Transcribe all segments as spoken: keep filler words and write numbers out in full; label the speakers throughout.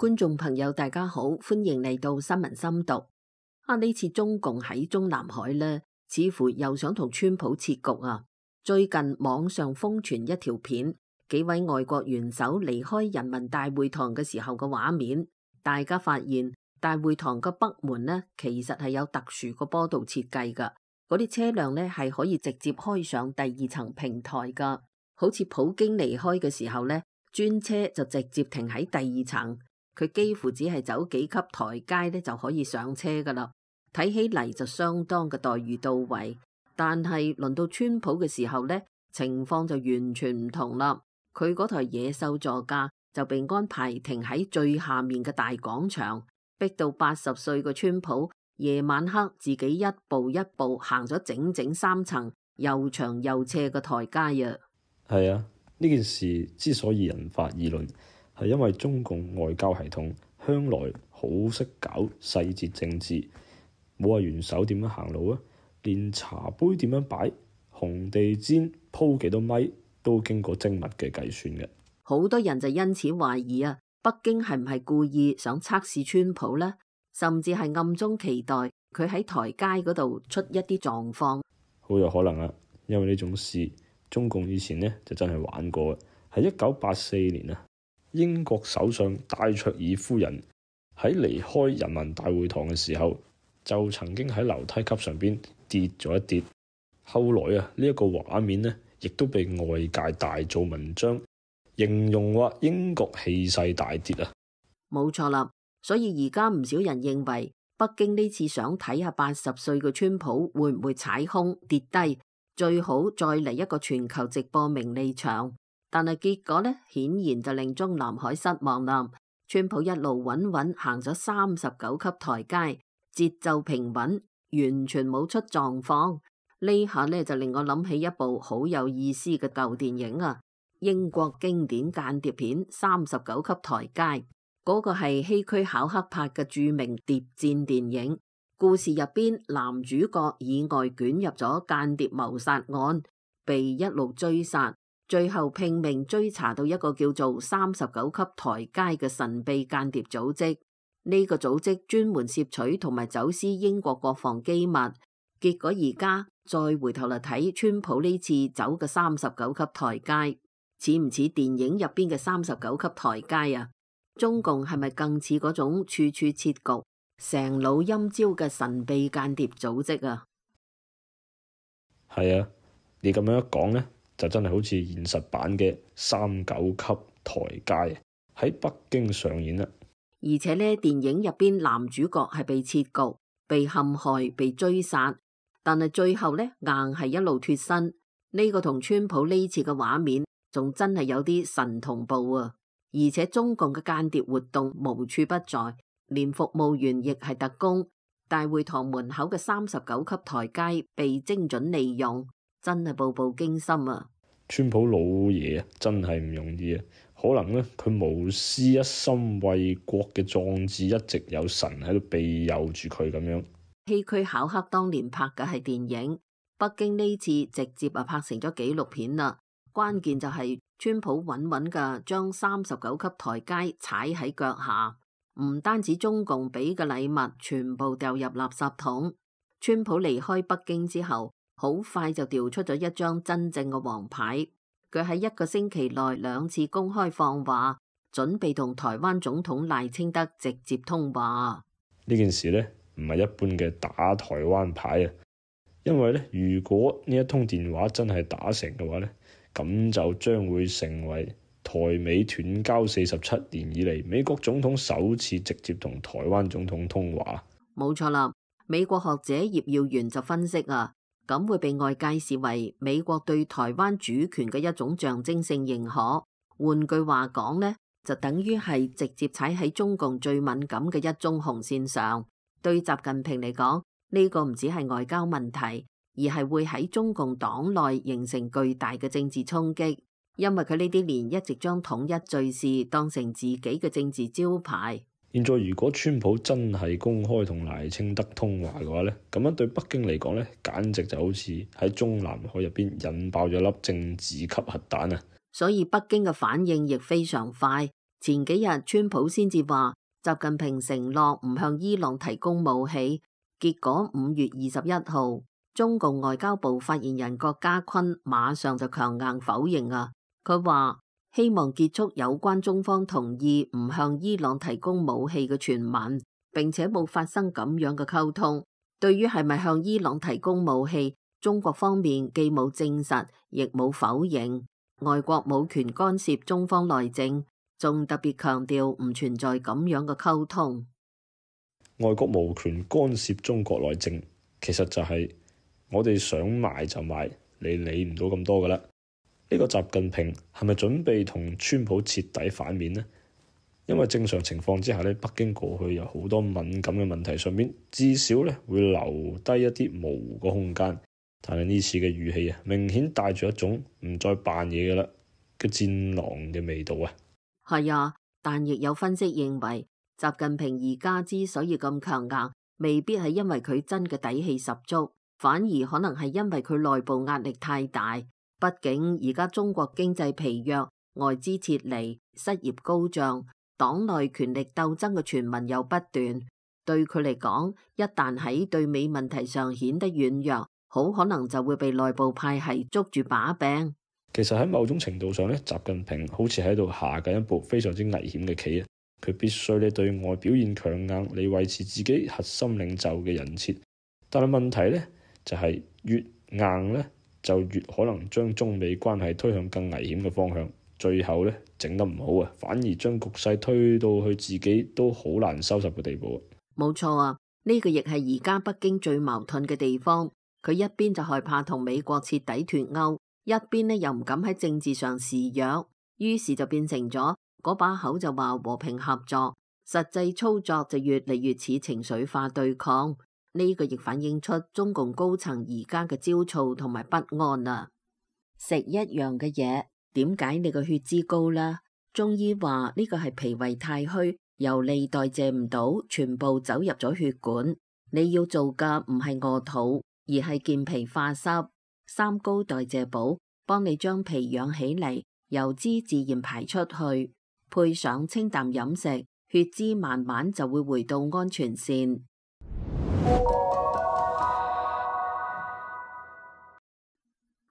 Speaker 1: 觀眾朋友大家好，歡迎嚟到新聞深讀。啊，呢次中共喺中南海呢，似乎又想同川普切局啊。最近網上瘋傳一條片，幾位外國元首離開人民大會堂嘅時候嘅畫面，大家發現大會堂嘅北門呢，其實係有特殊嘅坡道設計噶，嗰啲車輛呢係可以直接開上第二層平台噶，好似普京離開嘅時候呢，專車就直接停喺第二層。佢幾乎只係走幾級台階咧就可以上車噶啦，睇起嚟就相當嘅待遇到位。但係輪到川普嘅時候呢，情況就完全唔同啦。佢嗰台野獸座駕就被安排停喺最下面嘅大廣場，逼到八十歲嘅川普夜晚黑自己一步一步行咗整整三層又長又斜嘅台階啊！
Speaker 2: 係啊，呢件事之所以引發議論，係因為中共外交系統向來好識搞細節政治，冇話元首點樣行路啊，連茶杯點樣擺、紅地氈鋪幾多米都經過精密嘅計算嘅。
Speaker 1: 好多人就因此懷疑啊，北京係唔係故意想測試川普呢？甚至係暗中期待佢喺台階嗰度出一啲狀況。
Speaker 2: 好有可能啊，因為呢種事中共以前呢就真係玩過，係一九八四年啊。英國首相戴卓爾夫人喺離開人民大會堂嘅時候，就曾經喺樓梯級上邊跌咗一跌。後來啊，呢一個畫面呢，亦都被外界大做文章，形容話英國氣勢大跌啊。
Speaker 1: 冇錯啦，所以而家唔少人認為北京呢次想睇下八十歲嘅川普會唔會踩空跌低，最好再嚟一個全球直播名利場。但係結果呢，顯然就令中南海失望啦。川普一路穩穩行咗三十九級台階，節奏平穩，完全冇出狀況。呢下呢，就令我諗起一部好有意思嘅舊電影啊，英國經典間諜片《三十九級台階》，嗰個係希區考克拍嘅著名諜戰電影。故事入邊男主角意外捲入咗間諜謀殺案，被一路追殺。最後拼命追查到一個叫做三十九級台階嘅神秘間諜組織，呢個組織專門攝取同埋走私英國國防機密。結果而家再回頭嚟睇川普呢次走嘅三十九級台階，似唔似電影入邊嘅三十九級台階啊？中共係咪更似嗰種處處設局、成腦陰招嘅神秘間諜組織啊？
Speaker 2: 係啊，你咁樣一講呢，就真係好似現實版嘅三九級台階喺北京上演啦。
Speaker 1: 而且呢，電影入邊男主角係被設局、被陷害、被追殺，但係最後呢，硬係一路脫身。呢個同川普呢次嘅畫面仲真係有啲神同步啊！而且中共嘅間諜活動無處不在，連服務員亦係特工。大會堂門口嘅三十九級台階被精準利用。真係步步驚心啊！
Speaker 2: 川普老爺啊，真係唔容易啊！可能呢，佢無私一心為國嘅壯志一直有神喺度庇佑住佢咁樣。
Speaker 1: 希區考克當年拍嘅係電影，北京呢次直接啊拍成咗紀錄片啦。關鍵就係川普穩穩嘅將三十九級台階踩喺腳下，唔單止中共俾嘅禮物全部掉入垃圾桶。川普離開北京之後，好快就調出咗一張真正嘅王牌。佢喺一個星期內兩次公開放話，準備同台灣總統賴清德直接通話。
Speaker 2: 呢件事呢，唔係一般嘅打台灣牌啊，因為呢，如果呢一通電話真係打成嘅話呢，咁就將會成為台美斷交四十七年以嚟美國總統首次直接同台灣總統通話。冇
Speaker 1: 錯啦，美國學者葉耀元就分析啊。咁會被外界視為美國對台灣主權嘅一種象徵性認可。換句話講呢，就等於係直接踩喺中共最敏感嘅一宗紅線上。對習近平嚟講，呢個唔止係外交問題，而係會喺中共黨內形成巨大嘅政治衝擊。因為佢呢啲年一直將統一敘事當成自己嘅政治招牌。
Speaker 2: 現在如果川普真係公開同賴清德通話嘅話呢，咁樣對北京嚟講呢，簡直就好似喺中南海入邊引爆咗粒政治級核彈啊！
Speaker 1: 所以北京嘅反應亦非常快，前幾日川普先至話習近平承諾唔向伊朗提供武器，結果五月二十一號，中共外交部發言人郭家坤馬上就強硬否認啊！佢話希望結束有關中方同意唔向伊朗提供武器嘅傳聞，並且冇發生咁樣嘅溝通。對於係咪向伊朗提供武器，中國方面既冇證實，亦冇否認。外國冇權干涉中方內政，仲特別強調唔存在咁樣嘅溝通。
Speaker 2: 外國無權干涉中國內政，其實就係我哋想賣就賣，你理唔到咁多噶啦。呢個習近平係咪準備同川普徹底反面呢？因為正常情況之下咧，北京過去有好多敏感嘅問題上面，至少咧會留低一啲模糊嘅空間。但係呢次嘅語氣啊，明顯帶住一種唔再扮嘢嘅啦嘅戰狼嘅味道啊。
Speaker 1: 係啊，但亦有分析認為，習近平而家之所以咁強硬，未必係因為佢真嘅底氣十足，反而可能係因為佢內部壓力太大。畢竟而家中國經濟疲弱，外資撤離，失業高漲，黨內權力鬥爭嘅傳聞又不斷。對佢嚟講，一旦喺對美問題上顯得軟弱，好可能就會被內部派系捉住把柄。
Speaker 2: 其實喺某種程度上咧，習近平好似喺度下緊一步非常之危險嘅棋啊！佢必須咧對外表現強硬，嚟維持自己核心領袖嘅人設。但係問題咧就係、是、越硬咧，就越可能將中美關係推向更危險嘅方向。最後咧整得唔好啊，反而將局勢推到去自己都好難收拾嘅地步。
Speaker 1: 冇錯啊，呢、這個亦係而家北京最矛盾嘅地方。佢一邊就害怕同美國徹底脫鈎，一邊呢又唔敢喺政治上示弱，於是就變成咗嗰把口就話和平合作，實際操作就越嚟越似情緒化對抗。呢、這個亦反映出中共高層而家嘅焦躁同埋不安啊！食一樣嘅嘢，點解你個血脂高啦？中醫話呢個係脾胃太虛，油膩代謝唔到，全部走入咗血管。你要做嘅唔係餓肚，而係健脾化濕。三高代謝補幫你將脾養起嚟，油脂自然排出去，配上清淡飲食，血脂慢慢就會回到安全線。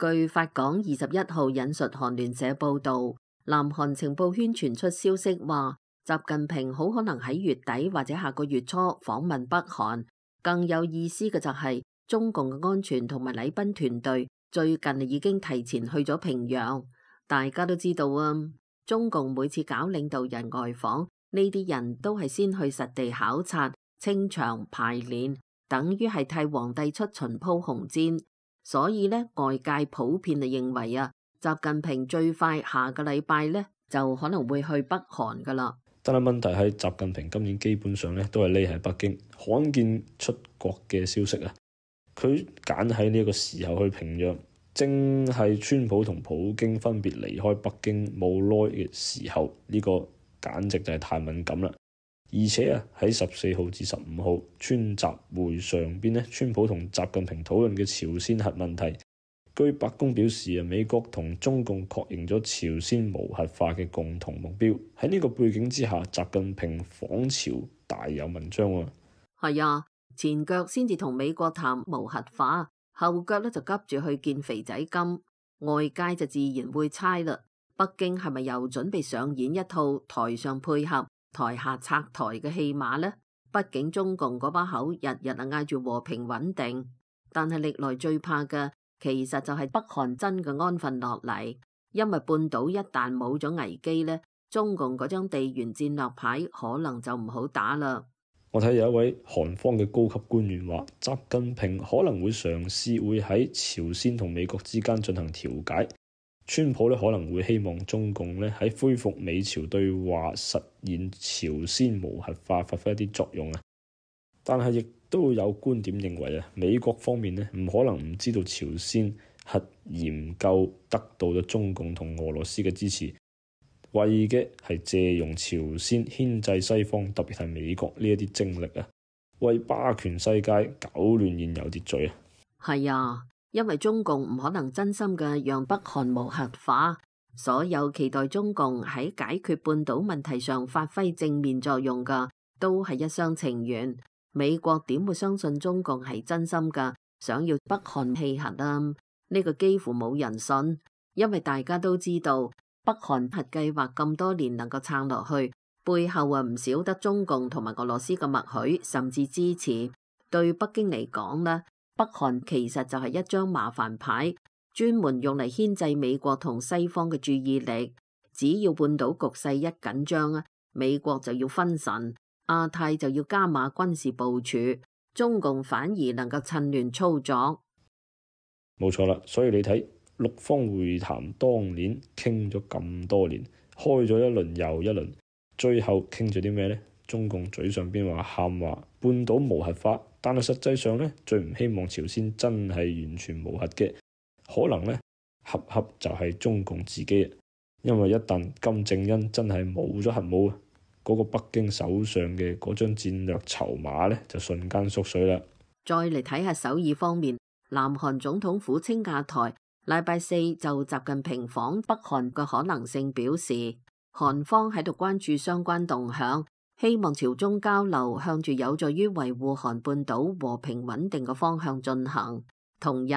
Speaker 1: 據法廣二十一號引述韓聯社報道，南韓情報圈傳出消息話，習近平好可能喺月底或者下個月初訪問北韓。更有意思嘅就係、是、中共嘅安全同埋禮賓團隊最近已經提前去咗平壤。大家都知道啊，中共每次搞領導人外訪，呢啲人都係先去實地考察、清場、排練，等於係替皇帝出巡鋪紅氈。所以呢，外界普遍就認為啊，習近平最快下個禮拜呢就可能會去北韓噶啦。
Speaker 2: 但係問題係，習近平今年基本上咧都係匿喺北京，罕見出國嘅消息啊！佢揀喺呢個時候去平壤，正係川普同普京分別離開北京冇耐嘅時候，呢、這個簡直就係太敏感啦！而且啊，喺十四號至十五號川習會上邊咧，川普同習近平討論嘅朝鮮核問題。據白宮表示啊，美國同中共確認咗朝鮮無核化嘅共同目標。喺呢個背景之下，習近平訪朝大有文章喎。
Speaker 1: 係啊，前腳先至同美國談無核化，後腳咧就急住去見肥仔金，外界就自然會猜啦。北京係咪又準備上演一套台上配合、台下拆台嘅戲碼呢？畢竟中共嗰把口日日啊嗌住和平穩定，但係歷來最怕嘅其實就係北韓真嘅安分落嚟，因為半島一旦冇咗危機呢，中共嗰張地緣戰略牌可能就唔好打啦。
Speaker 2: 我睇有一位韓方嘅高級官員話，習近平可能會嘗試會喺朝鮮同美國之間進行調解。川普咧可能會希望中共咧喺恢復美朝對話、實現朝鮮無核化發揮一啲作用啊。但係亦都有觀點認為啊，美國方面咧唔可能唔知道朝鮮核研究得到咗中共同俄羅斯嘅支持，為嘅係借用朝鮮牽制西方，特別係美國呢一啲精力啊，為霸權世界搞亂現有秩序啊。係
Speaker 1: 啊，因為中共唔可能真心嘅讓北韓無核化，所有期待中共喺解決半島問題上發揮正面作用嘅，都係一廂情願。美國點會相信中共係真心㗎，想要北韓棄核啊？呢個幾乎冇人信，因為大家都知道北韓核計劃咁多年能夠撐落去，背後啊唔少得中共同埋俄羅斯嘅默許甚至支持。對北京嚟講呢，北韓其實就係一張麻煩牌，專門用嚟牽制美國同西方嘅注意力。只要半島局勢一緊張啊，美國就要分神，亞太就要加碼軍事部署，中共反而能夠趁亂操作。
Speaker 2: 冇錯啦，所以你睇六方會談當年傾咗咁多年，開咗一輪又一輪，最後傾咗啲咩呢？中共嘴上邊話喊話半島無核化，但係實際上呢，最唔希望朝鮮真係完全無核嘅，可能呢，恰恰就係中共自己，因為一旦金正恩真係冇咗核武，嗰個北京手上嘅嗰張戰略籌碼呢，就瞬間縮水啦。
Speaker 1: 再嚟睇下首爾方面，南韓總統府青瓦台禮拜四就習近平訪北韓嘅可能性表示，韓方喺度關注相關動向，希望朝中交流向住有助於維護韓半島和平穩定嘅方向進行。同日，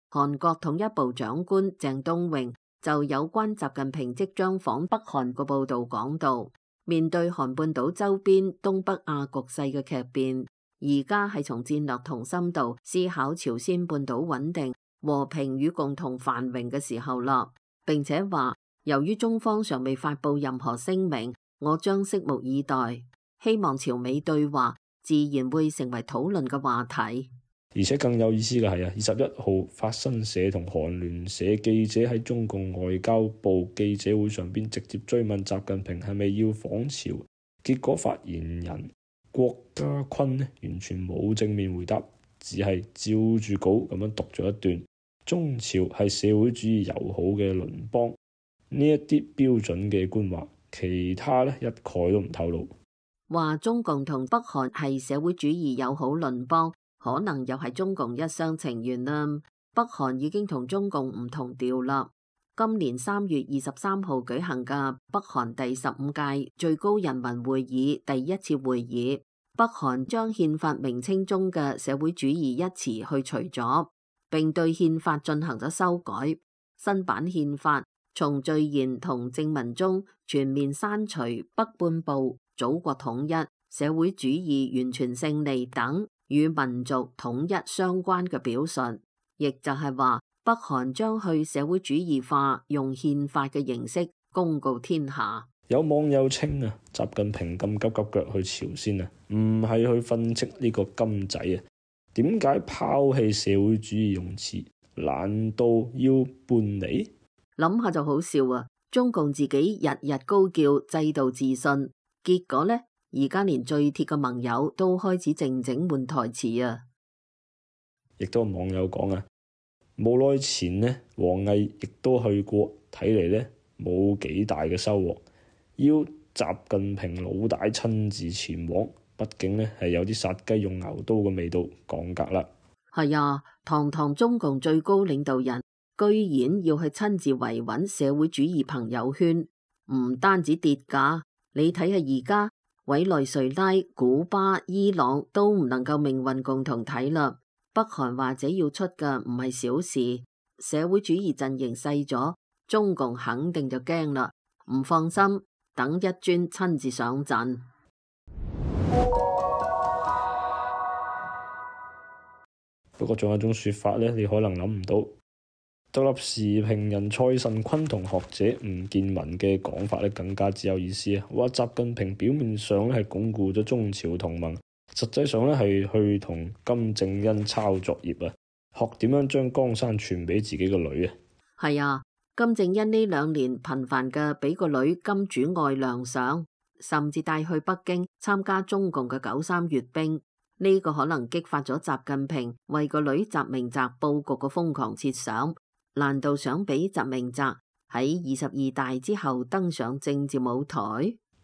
Speaker 1: 韓國統一部長官鄭東榮就有關習近平即將訪北韓嘅報導講到，面對韓半島周邊東北亞局勢嘅劇變，而家係從戰略同深度思考朝鮮半島穩定、和平與共同繁榮嘅時候啦。並且話，由於中方尚未發布任何聲明，我將拭目以待，希望朝美對話自然會成為討論嘅話題。
Speaker 2: 而且更有意思嘅係啊，二十一號法新社同韓聯社記者喺中共外交部記者會上邊直接追問習近平係咪要訪朝，結果發言人郭家坤呢完全冇正面回答，只係照住稿咁樣讀咗一段：中朝係社會主義友好嘅鄰邦，呢一啲標準嘅官話，其他呢一概都唔透露。
Speaker 1: 話中共同北韓係社會主義友好鄰邦，可能又係中共一廂情願啦。北韓已經同中共唔同調啦。今年三月二十三號舉行嘅北韓第十五屆最高人民會議第一次會議，北韓將憲法名稱中嘅社會主義一詞去除咗，並對憲法進行咗修改。新版憲法從序言同正文中全面刪除北半部、祖國統一、社會主義完全勝利等與民族統一相關嘅表述，亦就係話北韓將去社會主義化，用憲法嘅形式公告天下。
Speaker 2: 有網友稱啊，習近平咁急急腳去朝鮮啊，唔係去訓斥呢個金仔啊，點解拋棄社會主義用詞？難道要叛離？
Speaker 1: 諗下就好笑啊！中共自己日日高叫制度自信，結果呢，而家連最鐵嘅盟友都開始靜靜換台詞啊！
Speaker 2: 亦都有網友講啊，冇耐前呢，王毅亦都去過，睇嚟呢冇幾大嘅收穫。要習近平老大親自前往，畢竟呢係有啲殺雞用牛刀嘅味道，降格啦。係
Speaker 1: 啊，堂堂中共最高領導人，居然要去親自維穩社會主義朋友圈，唔單止跌價，你睇下而家委內瑞拉、古巴、伊朗都唔能夠命運共同體啦。北韓或者要出嘅唔係小事，社會主義陣營細咗，中共肯定就驚啦，唔放心，等一尊親自上陣。
Speaker 2: 不過仲有一種說法呢，你可能諗唔到。獨立時評人蔡慎坤同學者吳建文嘅講法咧，更加之有意思啊！話習近平表面上咧係鞏固咗中朝同盟，實際上咧係去同金正恩抄作業啊，學點樣將江山傳俾自己個女啊！係
Speaker 1: 啊，金正恩呢兩年頻繁嘅俾個女金主愛亮相，甚至帶去北京參加中共嘅九三閱兵，呢、這個可能激發咗習近平為個女習明澤佈局嘅瘋狂設想。難道想俾習明澤喺二十二大之後登上政治舞台？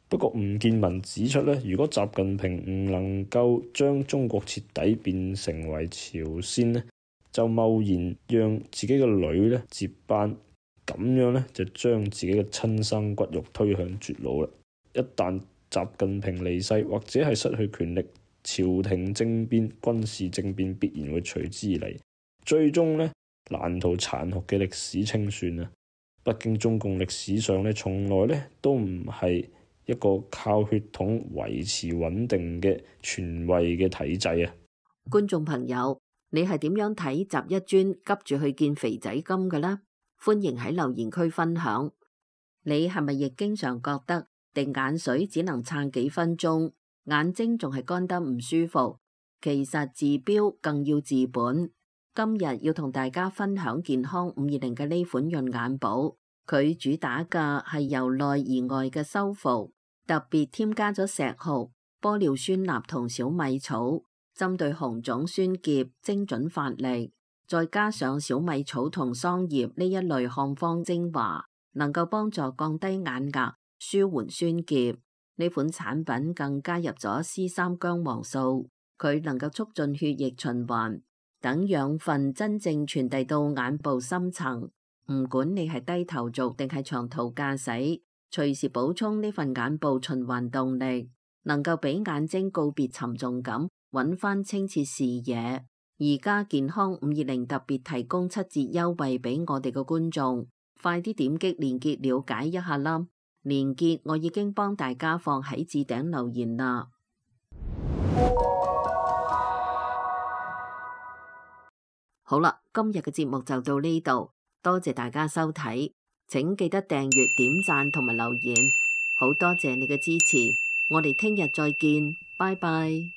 Speaker 2: 不過吳建文指出咧，如果習近平唔能夠將中國徹底變成為朝鮮咧，就貿然讓自己嘅女咧接班，咁樣咧就將自己嘅親生骨肉推向絕路啦。一旦習近平離世或者係失去權力，朝廷政變、軍事政變必然會隨之而嚟，最終咧難逃殘酷嘅歷史清算啊！北京中共歷史上咧從來咧都唔係一個靠血統維持穩定嘅權威嘅體制啊！
Speaker 1: 觀眾朋友，你係點樣睇習一尊急住去見肥仔金嘅呢？歡迎喺留言區分享。你係咪亦經常覺得滴眼水只能撐幾分鐘，眼睛仲係乾得唔舒服？其實治標更要治本。今日要同大家分享健康五二零嘅呢款潤眼寶，佢主打嘅係由內而外嘅修復，特別添加咗石斛、玻尿酸鈉同小米草，針對紅腫酸澀精準發力，再加上小米草同桑葉呢一類漢方精華，能夠幫助降低眼壓、舒緩酸澀。呢款產品更加入咗 C 三薑黃素，佢能夠促進血液循環，等養分真正傳遞到眼部深層。唔管你係低頭族定係長途駕駛，隨時補充呢份眼部循環動力，能夠俾眼睛告別沉重感，揾翻清澈視野。而家健康五二零特別提供七折優惠俾我哋嘅觀眾，快啲點擊鏈接了解一下啦！鏈接我已經幫大家放喺置頂留言啦。好啦，今日嘅節目就到呢度，多謝大家收睇，請記得訂閱、點讚同埋留言，好多謝你嘅支持，我哋聽日再見，拜拜。